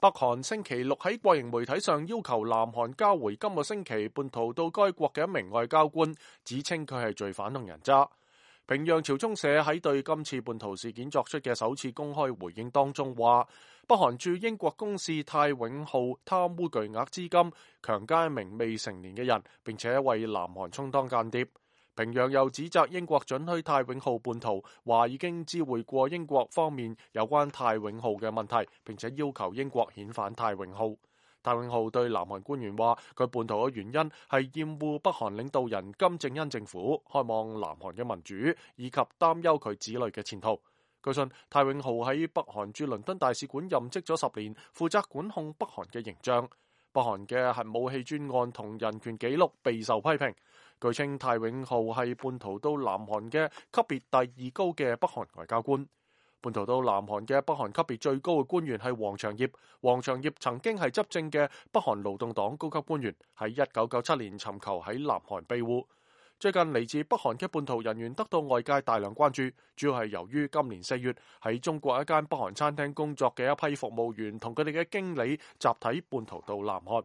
北韓星期六喺國營媒體上要求南韓交回今個星期叛逃到該國嘅一名外交官，指稱佢係罪犯同人渣。平壤朝中社喺對今次叛逃事件作出嘅首次公開回應當中話，北韓駐英國公使泰永浩貪污巨額資金，強姦一名未成年嘅人，並且為南韓充當間諜。平壤又指責英國准許泰永浩叛逃，話已經知會過英國方面有關泰永浩嘅問題，並且要求英國遣返泰永浩。泰永浩對南韓官員話，佢叛逃嘅原因係厭惡北韓領導人金正恩政府，渴望南韓嘅民主，以及擔憂佢子女嘅前途。據信，泰永浩喺北韓駐倫敦大使館任職咗10年，負責管控北韓嘅形象。北韓嘅核武器專案同人權紀錄備受批評。據稱，泰永浩係叛逃到南韓嘅級別第2高嘅北韓外交官。叛逃到南韓嘅北韓級別最高嘅官員係黃長業。黃長業曾經係執政嘅北韓勞動黨高級官員，喺1997年尋求喺南韓庇護。最近嚟自北韓嘅叛逃人員得到外界大量關注，主要係由於今年4月喺中國一間北韓餐廳工作嘅一批服務員同佢哋嘅經理集體叛逃到南韓。